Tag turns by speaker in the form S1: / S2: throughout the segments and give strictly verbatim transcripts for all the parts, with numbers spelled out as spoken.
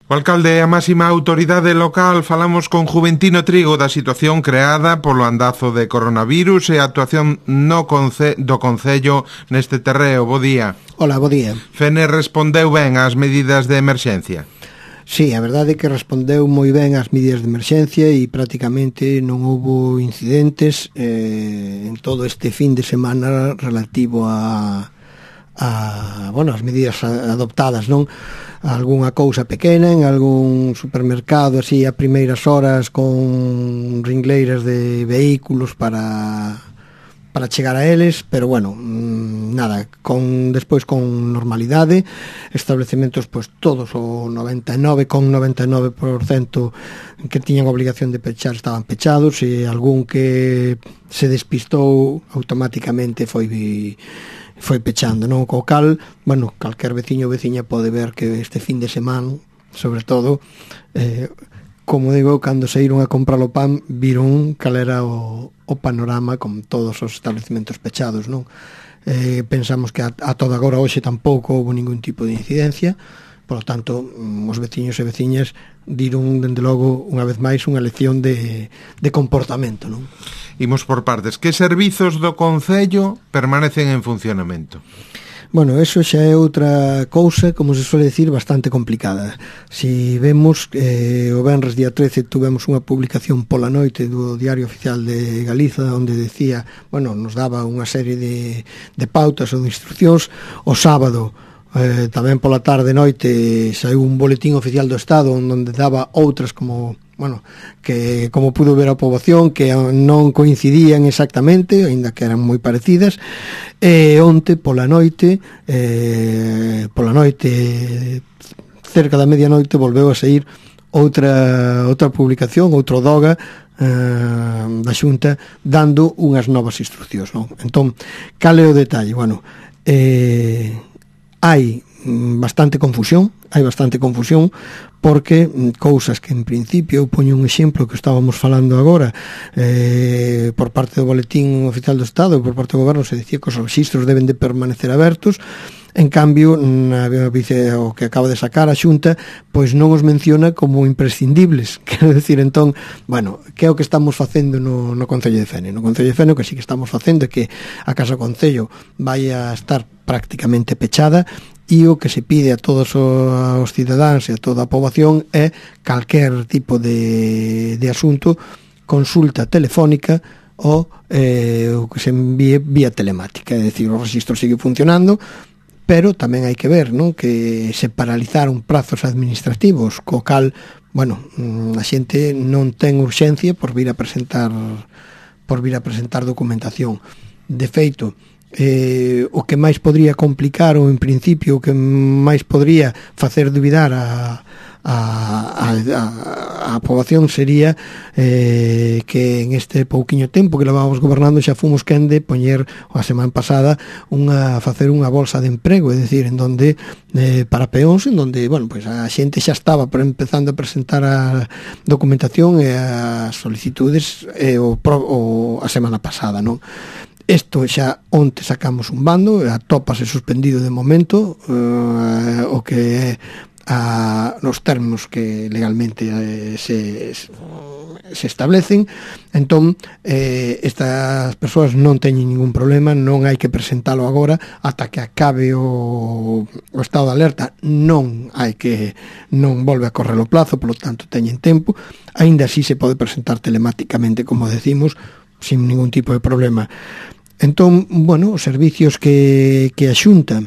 S1: O alcalde é a máxima autoridade local. Falamos con Juventino Trigo da situación creada polo andazo de coronavirus e a actuación no conce do Concello neste terreo. Bo día.
S2: Hola, bo día.
S1: Fene respondeu ben ás medidas de emerxencia?
S2: Sí, a verdade é que respondeu moi ben ás medidas de emerxencia e prácticamente non houbo incidentes eh, en todo este fin de semana relativo a, a bueno, as medidas adoptadas, non? Algúnha cousa pequena en algún supermercado así a primeiras horas con ringleiras de vehículos para para chegar a eles, pero bueno, nada, con despois con normalidade, establecementos pois todos o noventa e nove coma noventa e nove por cento que tiñan obligación de pechar estaban pechados, e algún que se despistou automáticamente foi foi pechando, non? Co cal, bueno, calquer veciño ou veciña pode ver que este fin de semana, sobre todo, eh, como digo, cando saíron a comprar o pan, viron cal era o, o panorama con todos os establecementos pechados, non? Eh, pensamos que a, a toda agora hoxe tampouco houve ningún tipo de incidencia, por lo tanto, os veciños e veciñas diron, dende logo, unha vez máis, unha lección de, de comportamento, non?
S1: Imos por partes. Que servizos do Concello permanecen en funcionamento?
S2: Bueno, eso xa é outra cousa, como se suele decir, bastante complicada. Si vemos, eh, o venres día trece tuvemos unha publicación pola noite do Diario Oficial de Galiza, onde decía, bueno, nos daba unha serie de, de pautas ou de instruccións. O sábado, eh, tamén pola tarde noite, saiu un boletín oficial do Estado onde daba outras como... bueno, que como pudo ver a poboación que non coincidían exactamente, aínda que eran moi parecidas, e onte pola noite eh, pola noite cerca da medianoite volveu a sair outra outra publicación, outro doga eh, da Xunta dando unhas novas instruccións, non? Entón, cal é o detalle? Bueno, eh, hai bastante confusión, hai bastante confusión porque cousas que en principio, eu poño un exemplo que estábamos falando agora, eh, por parte do Boletín Oficial do Estado e por parte do Goberno se dicía que os rexistros deben de permanecer abertos. En cambio, na vice, o que acaba de sacar a Xunta, pois non os menciona como imprescindibles. Quero decir, entón, bueno, que é o que estamos facendo no, no Concello de Fene? No Concello de Fene o que sí que estamos facendo é que a Casa Concello vai a estar prácticamente pechada, e o que se pide a todos os cidadáns e a toda a poboación é calquer tipo de, de asunto, consulta telefónica ou eh, o que se envíe vía telemática. É dicir, o rexistro sigue funcionando, pero tamén hai que ver, non, que se paralizaron prazos administrativos, co cal, bueno, a xente non ten urxencia por vir a presentar por vir a presentar documentación. De feito, Eh, o que máis podría complicar ou en principio o que máis podría facer dubidar a, a, a, a, a poboación sería eh, que en este pouquiño tempo que levábamos gobernando xa fomos quen de poñer a semana pasada unha, facer unha bolsa de emprego, é dicir, en donde eh, para peóns, en donde, bueno, pues a xente xa estaba empezando a presentar a documentación e as solicitudes eh, o, o, a semana pasada, non? Isto xa onte sacamos un bando, atópase suspendido de momento, eh, o que é a, nos términos que legalmente eh, se, se establecen. Entón, eh, estas persoas non teñen ningún problema, non hai que presentalo agora ata que acabe o, o estado de alerta. Non hai que, non volve a correr o plazo, polo tanto teñen tempo. Aínda así se pode presentar telemáticamente, como decimos, sin ningún tipo de problema. Entón, bueno, os servicios que, que a Xunta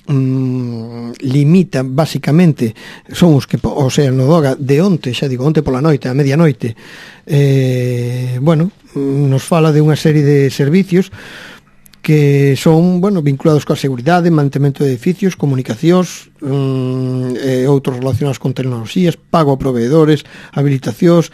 S2: mm, limita basicamente son os que, o sea, no doga de onte, xa digo, onte pola noite, a medianoite, eh, bueno, nos fala de unha serie de servicios que son, bueno, vinculados coa seguridade, mantemento de edificios, comunicacións, mm, e outros relacionados con tecnoloxías, pago a proveedores, habilitacións,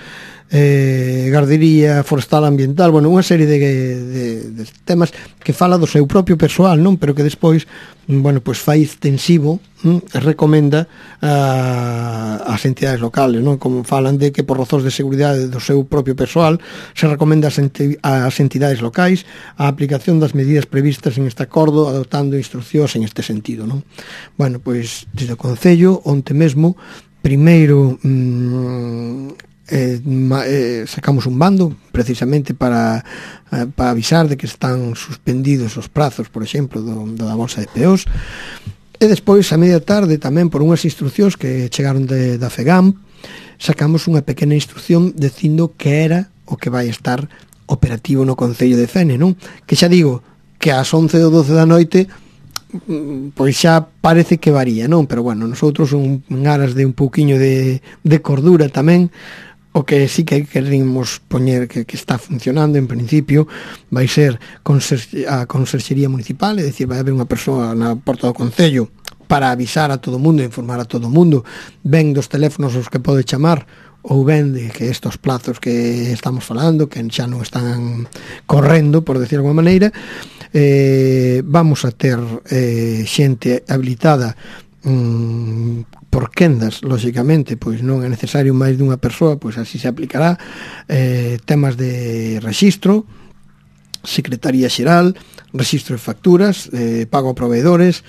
S2: eh, gardería forestal ambiental, bueno, unha serie de, de, de temas que fala do seu propio persoal, non? Pero que despois, bueno, pois fai extensivo, hm, e recomenda a, as entidades locales, non? Como falan de que por razóns de seguridade do seu propio persoal se recomenda ás, enti, ás entidades locais a aplicación das medidas previstas en este acordo, adoptando instruccións en este sentido, non? Bueno, pois desde o Concello, onte mesmo, primeiro mmm, eh, eh, sacamos un bando precisamente para, eh, para avisar de que están suspendidos os prazos, por exemplo, do, da bolsa de P Os, e despois a media tarde tamén por unhas instruccións que chegaron de, da FEGAM, sacamos unha pequena instrucción dicindo que era o que vai estar operativo no Concello de Fene, non? Que xa digo que ás once ou doce da noite pois xa parece que varía, non? Pero bueno, nosotros un, en aras de un pouquiño de, de cordura tamén, o que sí que queremos poñer que, que está funcionando en principio vai ser a Conserxería Municipal, é dicir, vai haber unha persoa na porta do Concello para avisar a todo o mundo, informar a todo o mundo, ben dos teléfonos aos que pode chamar, ou ben de que estos plazos que estamos falando, que xa non están correndo, por decir alguma maneira, eh, vamos a ter eh, xente habilitada mm, por quendas, lóxicamente, pois non é necesario máis dunha persoa, pois así se aplicará, eh, temas de rexistro, Secretaría Xeral, rexistro de facturas, eh, pago a proveedores,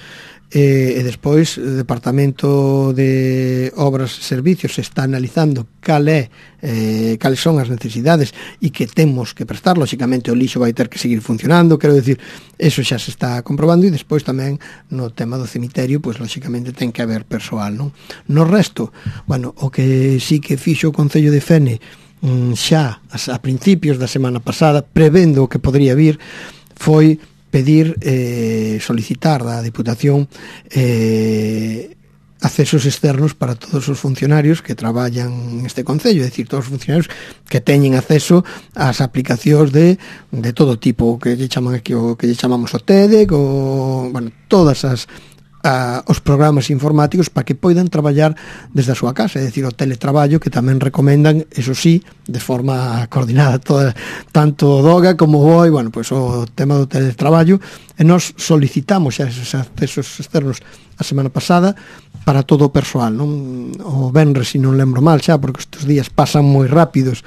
S2: e, e despois o Departamento de Obras e Servicios está analizando cal é, eh, cales son as necesidades e que temos que prestar. Lóxicamente o lixo vai ter que seguir funcionando, quero decir, eso xa se está comprobando, e despois tamén no tema do cemiterio, pois lóxicamente ten que haber persoal, non? No resto, bueno, o que sí que fixo o Concello de Fene xa a principios da semana pasada, prevendo o que podría vir, foi pedir, eh, solicitar da Diputación eh, accesos externos para todos os funcionarios que traballan neste Concello, é dicir, todos os funcionarios que teñen acceso ás aplicacións de, de todo tipo, que lle chaman aquí, o que lle chamamos o T E D E C, o, bueno, todas as a, os programas informáticos para que poidan traballar desde a súa casa, é dicir, o teletraballo, que tamén recomendan, eso sí, de forma coordinada toda, tanto o DOGA como o B O I, bueno, pois o tema do teletraballo, e nos solicitamos xa esos accesos externos a semana pasada para todo o persoal, non? O venres, se non lembro mal xa, porque estes días pasan moi rápidos.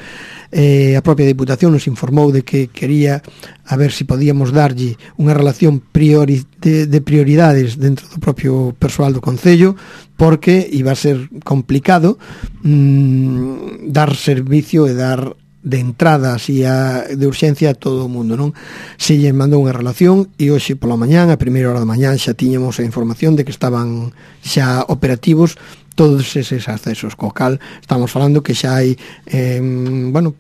S2: Eh, a propia Diputación nos informou de que quería a ver se podíamos darlle unha relación priori, de, de prioridades dentro do propio persoal do Concello, porque iba a ser complicado mmm, dar servicio e dar de entrada así a, de urxencia a todo o mundo, non? Se lle mandou unha relación e hoxe pola mañán, a primeira hora da mañán, xa tiñamos a información de que estaban xa operativos todos eses accesos, co cal estamos falando que xa hai eh, bueno,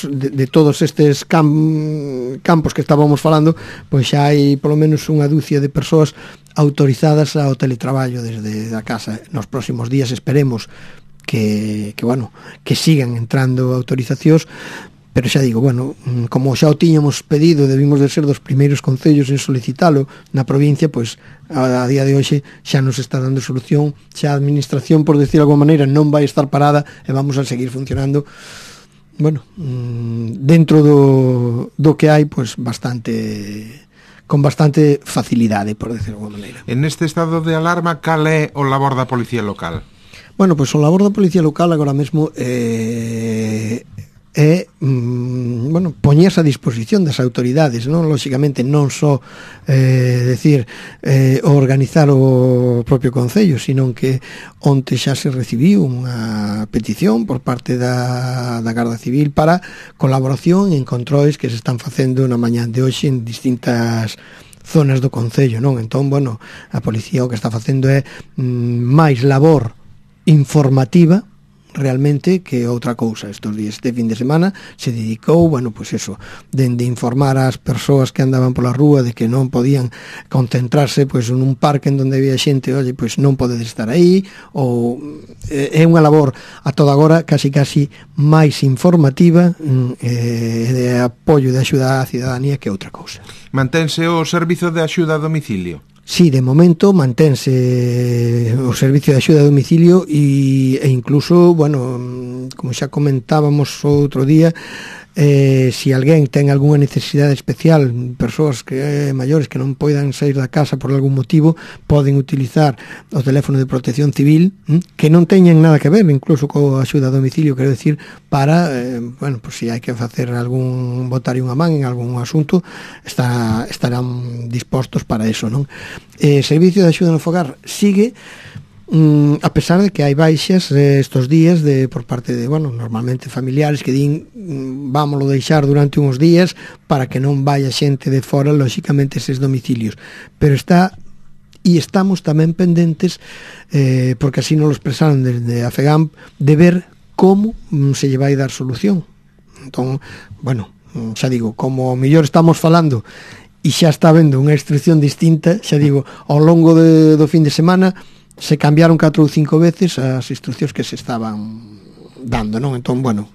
S2: de, de todos estes cam, campos que estábamos falando, pois xa hai polo menos unha dúcia de persoas autorizadas ao teletraballo desde a casa. Nos próximos días esperemos que, que bueno, que sigan entrando autorizacións, pero xa digo, bueno, como xa o tiñamos pedido, debimos de ser dos primeiros concellos en solicitalo na provincia, pois a, a día de hoxe xa nos está dando solución, xa a administración, por decir de alguma maneira, non vai estar parada e vamos a seguir funcionando, bueno, dentro do, do que hai, pois bastante, con bastante facilidade, por decir de alguma maneira.
S1: En este estado de alarma, cal é o labor da Policía Local?
S2: Bueno, pois o labor da Policía Local agora mesmo é, é mm, bueno, poñerse a disposición das autoridades, non? Lóxicamente non só eh, decir eh, organizar o propio Concello, sino que onte xa se recibiu unha petición por parte da, da Garda Civil para colaboración en controis que se están facendo na mañán de hoxe en distintas zonas do Concello, non? Entón, bueno, a Policía o que está facendo é mm, máis labor informativa realmente que outra cousa. Estos días de fin de semana se dedicou, bueno, pois pues eso, de, de informar ás persoas que andaban pola rúa de que non podían concentrarse pois pues, nun parque en donde había xente, oye, pois pues, non podedes estar aí, ou é unha labor a toda agora casi casi máis informativa eh, de apoio de axuda á cidadanía que outra cousa.
S1: Mantense o servizo de axuda a domicilio?
S2: Sí, de momento mantense o servicio de axuda a domicilio e, e incluso, bueno, como xa comentábamos outro día, eh, si alguén ten algunha necesidade especial, persoas que eh, maiores que non poidan sair da casa por algún motivo, poden utilizar o teléfono de protección civil, hm, que non teñen nada que ver incluso co axuda a domicilio, quero decir, para, eh, bueno, pues si hai que facer algún, botar unha man en algún asunto, está, estarán dispostos para eso, non? Eh, servicio de axuda no fogar sigue, Mm, a pesar de que hai baixas eh, estos días de por parte de, bueno, normalmente familiares que din mm, vámoslo deixar durante uns días para que non vaya xente de fora, lóxicamente, eses domicilios. Pero está e estamos tamén pendentes, eh, porque así nos lo expresaron desde a FEGAMP, de ver como mm, se lle vai dar solución. Entón, bueno, xa digo, como mellor estamos falando e xa está vendo unha instrucción distinta, xa digo, ao longo de, do fin de semana se cambiaron catro ou cinco veces as instruccións que se estaban dando, non? Entón, bueno,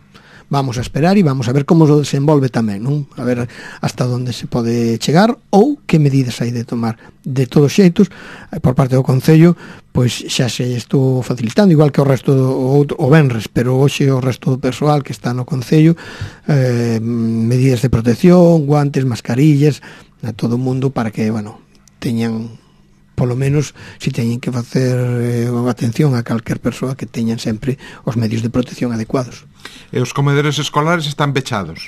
S2: vamos a esperar e vamos a ver como se desenvolve tamén, non? A ver hasta onde se pode chegar ou que medidas hai de tomar. De todos xeitos, por parte do Concello, pois xa se estou facilitando, igual que o resto do outro, o venres, pero hoxe o resto do persoal que está no Concello, eh, medidas de protección, guantes, mascarillas, a todo o mundo para que, bueno, teñan polo menos si teñen que facer eh, atención a calquer persoa que teñan sempre os medios de protección adecuados.
S1: E os comedores escolares están pechados?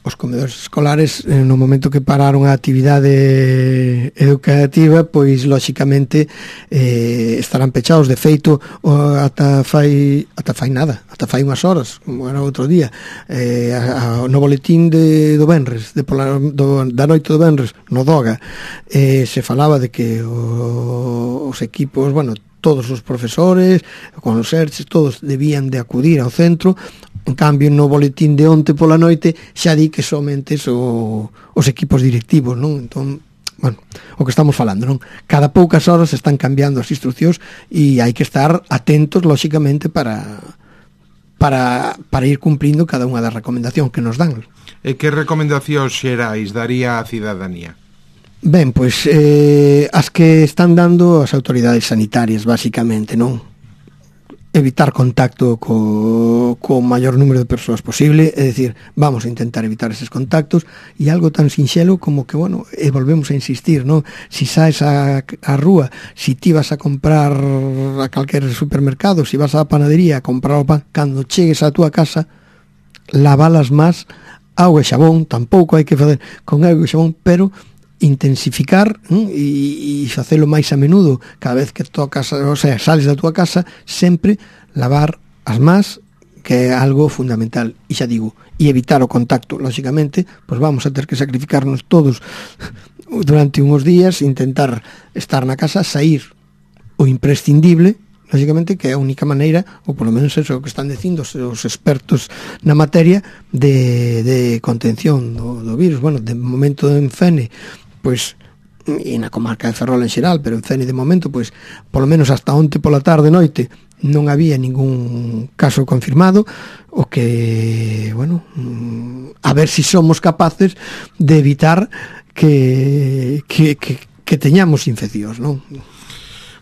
S2: Os comedores escolares, eh, no momento que pararon a actividade educativa, pois, lóxicamente, eh, estarán pechados. De feito, o, ata fai ata fai nada, ata fai unhas horas, como era outro día, eh, a, a, no boletín de, do venres, de pola, do, da noite do venres, no Doga, eh, se falaba de que o, os equipos, bueno, todos os profesores, con os serches, todos debían de acudir ao centro. En cambio, no boletín de onte pola noite xa di que somente o, os equipos directivos, non? Entón, bueno, o que estamos falando, non? Cada poucas horas están cambiando as instruccións e hai que estar atentos, lóxicamente, para para para ir cumprindo cada unha das recomendacións que nos dan.
S1: E que recomendacións xerais daría a cidadanía?
S2: Ben, pois eh, as que están dando as autoridades sanitarias, basicamente, non? Evitar contacto co, co maior número de persoas posible, é dicir, vamos a intentar evitar eses contactos, e algo tan sinxelo como que, bueno, e volvemos a insistir, non? Si saes a, a rúa, si ti vas a comprar a calquer supermercado, si vas á panadería a comprar o pan, cando chegues á túa casa, lavalas más, auga e xabón, tampouco hai que facer con auga e xabón, pero intensificar ¿eh? e, e facelo máis a menudo cada vez que tocas, o sea, sales da túa casa, sempre lavar as más, que é algo fundamental, e xa digo, e evitar o contacto, lóxicamente, pois vamos a ter que sacrificarnos todos durante uns días, intentar estar na casa, sair o imprescindible, lóxicamente, que é a única maneira, ou polo menos eso que están dicindo os expertos na materia de, de contención do, do virus. Bueno, de momento en Fene, pois, e na comarca de Ferrol en xeral, pero en Fene de momento, pois, polo menos hasta onte pola tarde noite non había ningún caso confirmado, o que, bueno, a ver si somos capaces de evitar que que, que, que teñamos infeccións, non?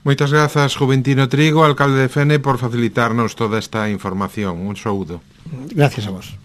S1: Moitas grazas, Juventino Trigo, alcalde de Fene, por facilitarnos toda esta información. Un saúdo.
S2: Gracias a vos.